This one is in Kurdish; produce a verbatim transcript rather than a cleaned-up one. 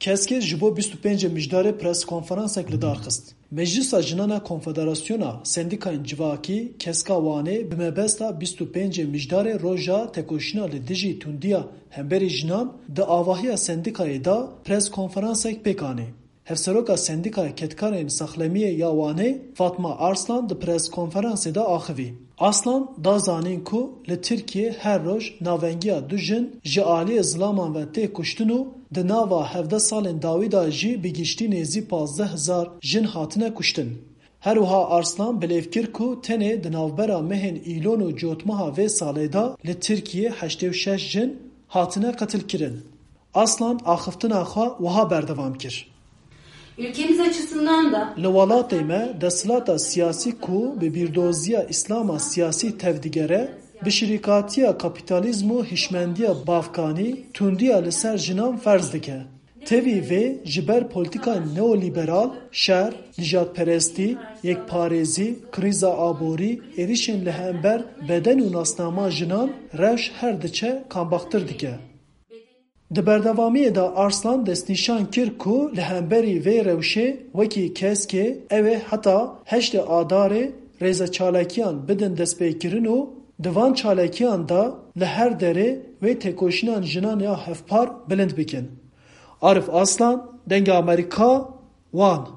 Keskê ji bo bîst û pêncê Mijdarê pres konferansek li dar xist. Meclisa Jinan a Konfederasyona Sendîkayên Civakî, Keska Wanê, bi mebesta bîst û pêncê Mijdarê roja tekoşîna li dijî tundiya hemberî jinan di avahiya sendîkayê de pres konferansek pêk anî. Hevseroka Sendîkaya Kedkarên Saxlemiyê ya Wanê, Fatma Arslan di pres konferansê de axivî. Arslan da zanîn ku li Tirkiyê her roj navengiya du jin ji aliyê zilaman ve tê kuştin û di nava hevdeh salên dawî de jî bi giştî nêzî pazdeh hezar jin hatine kuştin. Her wiha Arslan bilêv kir ku tenê di navbera mehên Îlon û Cotmeha vê salê de li Tirkiyê heştê û şeş jin hatine qetilkirin. Arslan axiftina xwe wiha berdewam kir. Ülkemiz açısından da Li welatê me desthilata siyasî ku bi bîrdoziya Îslama siyasî tevdigere, bi şirîkatiya kapîtalîzm û hişmendiya bavkanî tundiya li ser jinan ferz dike. Tevî vê ji ber polîtîkayên neolîberal, şer, nijadperestî, yekparêzî, krîza aborî, êrîşên li hember beden û nasnama jinan rewş her diçe kambaxtir dike. Di berdewamiyê de Arslan destnîşan kir ku li hemberî vê rewşê wekî keskê ew ê heta heştê Adarê rêze çalakiyan bidin destpêkirin û di van çalakiyan de li her derê wê têkoşînan jinan ya hevpar bilind bikin. Arif Aslan, Dengê Amerîka, Wan.